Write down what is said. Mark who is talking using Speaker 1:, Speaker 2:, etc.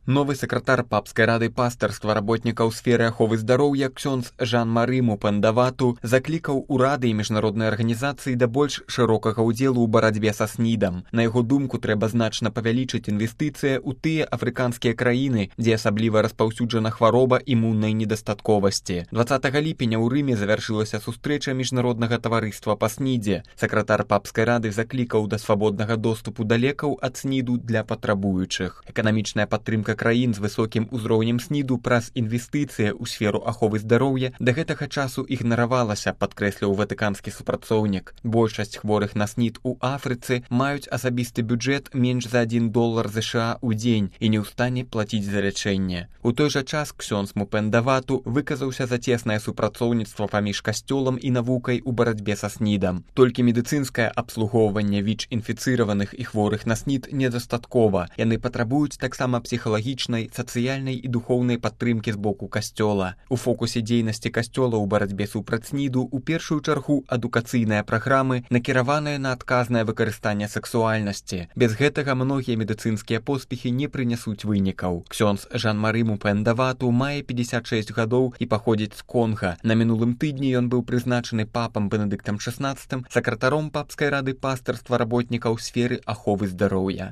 Speaker 1: Новы сакратар папскай рады пастарства работнікаў сферы аховы здароўя ксёндз Жан-Мары Мупендавату заклікаў урады і міжнародныя арганізацыі да больш шырокага ўдзелу ў барацьбе са СНІДам. На яго думку, трэба значна павялічыць інвестыцыі ў тыя афрыканскія краіны, дзе асабліва распаўсюджана хвароба імуннай недастатковасці. 20 ліпеня ў Рыме завяршылася сустрэча міжнароднага таварыства па СНІДзе. Сакратар папскай рады заклікаў да свабоднага доступу да лекаў ад СНІДу для патрабуючых. Эканамічная падтрымка краін з высокім узроўнем СНІДу праз інвестыцыі ў сферу аховы здароўя да гэтага часу ігнаравалася, падкрэсліў ватыканскі супрацоўнік. Большасць хворых на СНІД у Афрыцы маюць асабісты бюджэт менш за $1 США ў дзень і не ў стане плаціць за лячэнне. У той жа час ксёндз Мупендавату выказаўся за цеснае супрацоўніцтва паміж касцёлам і навукай у барацьбе са СНІДам. Толькі медыцынскае абслугоўванне ВІЧ-інфіцыраваных і хворых на СНІД недастаткова. Яны патрабуюць таксама псіхалагічнай, сацыяльнай і духоўнай падтрымкі з боку касцёла. У фокусе дзейнасці касцёла ў барацьбе супраць СНІДу ў першую чаргу адукацыйныя праграмы, накіраваныя на адказнае выкарыстанне сексуальнасці. Без гэтага многія медыцынскія поспехі не прынясуць вынікаў. Ксёндз Жан-Мары Мупендавату мае 56 гадоў і паходзіць з Конга. На мінулым тыдні ён быў прызначаны папам Бенедыктам XVI сакратаром папскай рады пастарства работнікаў сферы аховы здароўя.